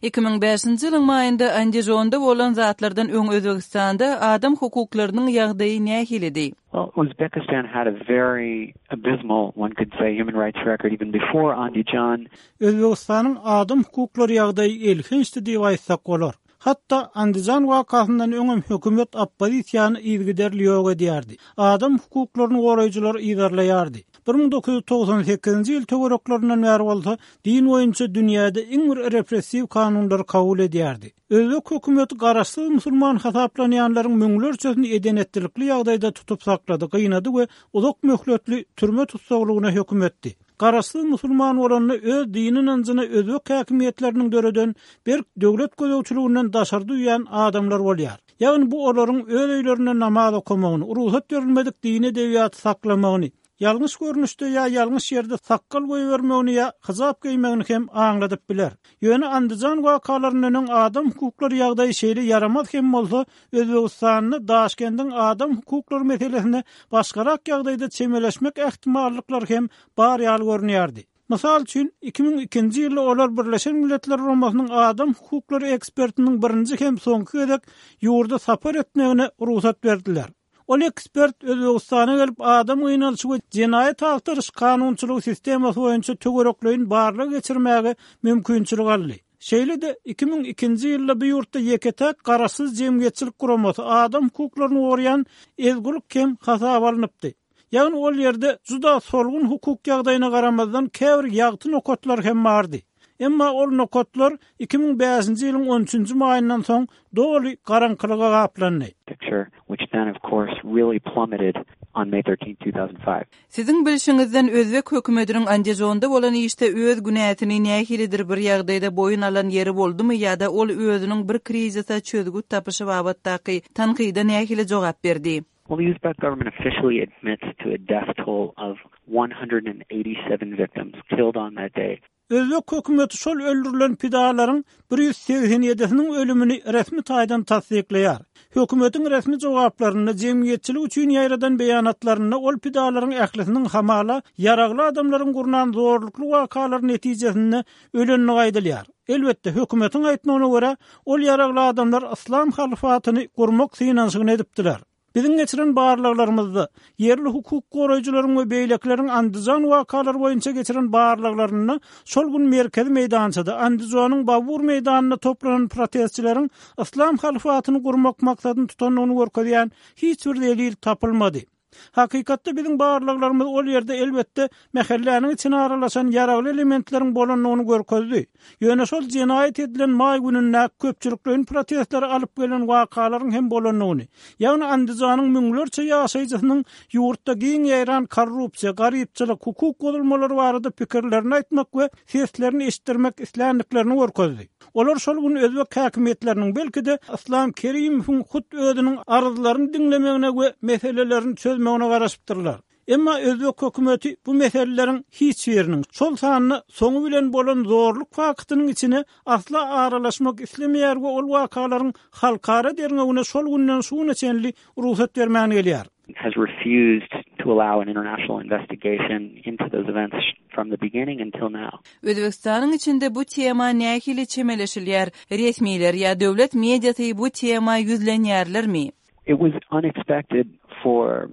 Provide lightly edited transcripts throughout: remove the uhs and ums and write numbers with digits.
2005-nji ýylyň maýynda Andijonda bolan zatlardan öň Özbegistanda adam hukuklarynyň ýagdaýy nähilidi? Well, Uzbekistan had a very abysmal, one could say, human rights record even before Andijan. Özbegistanyň adam hukuklary ýagdaýy elhençdi diýip aýtsak bolar. Hatda Andijan wakasyndan öňem hökümet oppozisiýany yzygiderli ýok edýärdi, adam hukuklaryny goraýjylary yzarlaýardy. 1998-nji ýyl töwereklerinden bäri bolsa din boýunça dünýäde iň bir repressiw kanunlary kabul edýärdi. Özbek hökümeti garaşsyz musulman hasaplanýanlaryň müňlerçesini eden-etdilikli ýagdaýda tutup saklady, gynady we uzak möhletli türme tussaglygyna höküm etdi. Garaşsyz musulman bolanda öz dini ynanjyna özbek häkimiýetleriniň döreden berk döwlet gözegçiliginden daşary duýýan adamlar bolýar. Ýagny bu olaryň öz öýlerinde namaz okamagyny, rugsat berilmedik dini edebiýaty saklamagyny, ýalňyş görnüşde ýa ýalňyş ýerde sakgal goýbermegini ýa hyjap geýmegini hem aňladyp biler. Ýöne Andijan wakalaryndan öň adam hukuklary ýagdaýy şeýle ýaramaz hem bolsa, Özbegistanda Daşkendiň adam hukuklary meselesine başgarak ýagdaýda çemeleşmek ähtimallyklary hem bar ýaly görünýärdi. Mysal üçin, 2002-nji ýylda olar Birleşen Milletler Guramasynyň adam hukuklary ekspertiniň birinji hem soňky gezek ýurda sapar etmegine rugsat berdiler. Ol ekspert Özbegistana gelip adam gynalyşy we jenaýat agtaryş kanunçylygy sistemasy boýunça töwerekleýin barlag geçirmäge mümkinçilik aldy. Şeýle-de, 2002-nji ýylda bu ýurtda ýeke-täk garaşsyz jemgyýetçilik guramasy, adam hukuklaryny goraýan Ezgulik hem hasaba alnypdy. Ýagny ol ýerde juda solgun hukuk ýagdaýyna garamazdan käbir ýagty nokatlar hem bardy. Emma ol nokatlar 2005-nji ýylyň on üçünji maýyndan soň doly garaňkylyga gaplandy. Picture, which then of course really plummeted on May 13, 2005. Siziň bilşiňizden özbek hökümetiniň Andijonda bolan işde öz günäsini nähilidir bir ýagdaýda boýun alan ýeri boldumy ýa-da ol özüniň bir krizise çözgüt tapyşy babatdaky tankyda nähili jogap berdi? Well, the Uzbek government officially admits to a death toll of 187 victims killed on that day. Özbek hökümeti şol öldürilen pidalaryň 187-siniň ölümini resmi taýdan tassyklaýar. Hökümetiň resmi jogaplarynda, jemgyýetçilik üçin ýaýradan beýanatlarynda ol pidalaryň ählisiniň hamala ýaragly adamlaryň gurnan zorlukly wakalary netijesinde ölendigi aýdylýar. Elbetde, hökümetiň aýtmagyna görä, ol ýaragly adamlar yslam halyfatyny gurmak synanyşygyny edipdiler. Biziň geçiren barlaglarymyzda, ýerli hukuk goraýjylaryň we beýlekileriň Andijan wakalary boýunça geçiren barlaglarynda şol gün merkezi meýdançada, Andijonyň Babur meýdanynda toplanan protestçileriň yslam halyfatyny gurmak maksadyny tutandygyny görkezýän hiç bir delil tapylmady. Hakykatda biziň barlaglarymyz ol ýerde elbetde mähelläniň içine aralaşan ýaragly elementleriň bolandygyny görkezdi. Ýöne şol jenaýat edilen maý günündäki köpçülikleýin protestlere alyp gelen wakalaryň hem bolandygyny, ýagny Andijanyň müňlerçe ýaşaýjysynyň ýurtda giň ýaýran korrupsiýa, garypçylyk, hukuk bozulmalary barada pikirlerini aýtmak we seslerini eşitdirmek isländiklerini görkezdi. Olar şol gün özbek häkimiýetleriniň, belki-de, Yslam Kerimowyň hut özüniň arzlaryny diňlemegine we meselelerini çözmegine garaşypdyrlar. Emma özbek hökümeti bu meseleleriň hiç biriniň, şol sanda soňy bilen bolan zorluk faktynyň içine asla aralaşmak islemeýär we ol wakalaryň halkara derňewine şol günden şu güne çenli rugsat bermän gelýär. has refused to allow an international investigation into those events from the beginning until now. Özbegistanyň içinde bu tema nähili çemeleşilýär? Resmiler ýa döwlet mediasy bu tema ýüzlenýärlermi? It was unexpected for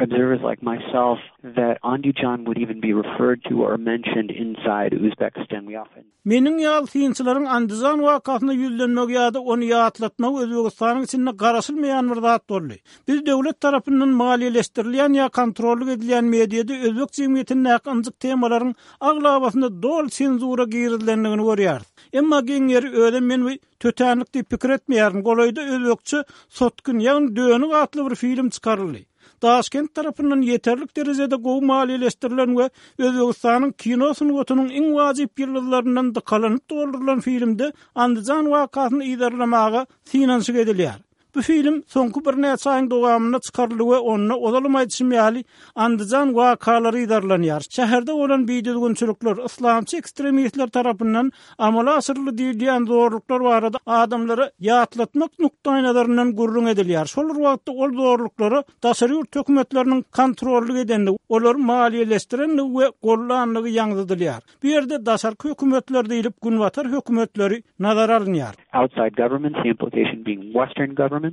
observers like myself that Andijan would even be referred to or mentioned inside Uzbekistan. We often. Meniň ýaly synçylaryň Andijan wakasyna ýüzlenmegi ýa-da ony ýatlatmagy Özbegistanyň içinde garaşylmaýan bir zat boldy. Biz döwlet tarapyndan maliýeleşdirilýän ýa kontrollyk edilýän mediada özbek jemgyýetindäki ynjyk temalaryň aglabasynda doly senzura girizilendigini görýäris. Emma geň ýeri özem men bu tötänlik diýip pikir etmeýärin, golaýda özbekçe Sotkin ýagny Dönük atly bir film çykaryldy. Daşkent tarapyndan ýeterlik derejede gowy maliýeleşdirilen we Özbegistanyň kino sungatynyň iň wajyp ýyldyzlaryndan dykalanyp doldurylan filmde Andijan wakasyny yzarlamaga synanyşyk edilýär. Bu film soňky birnäçe aýyň dowamynda çykaryldy we onda, ozalam aýdyşym ýaly, Andijan wakalary yzarlanýar. Şäherde bolan bidüzgünçilikler, yslamçy ekstremistler tarapyndan amala aşyryldy diýilýän zorluklar barada adamlara ýatlatmak nukdaýnazaryndan gürrüň edilýär. Şol bir wagtda ol zorluklara daşary ýurt hökümetleriniň kontrollyk edendigi, olary maliýeleşdirendigi we gollandygy ýaňzydylýar. Bu ýerde daşarky hökümetler diýlip günbatar hökümetleri nazara alynýar. Outside governments, the implication being western governments.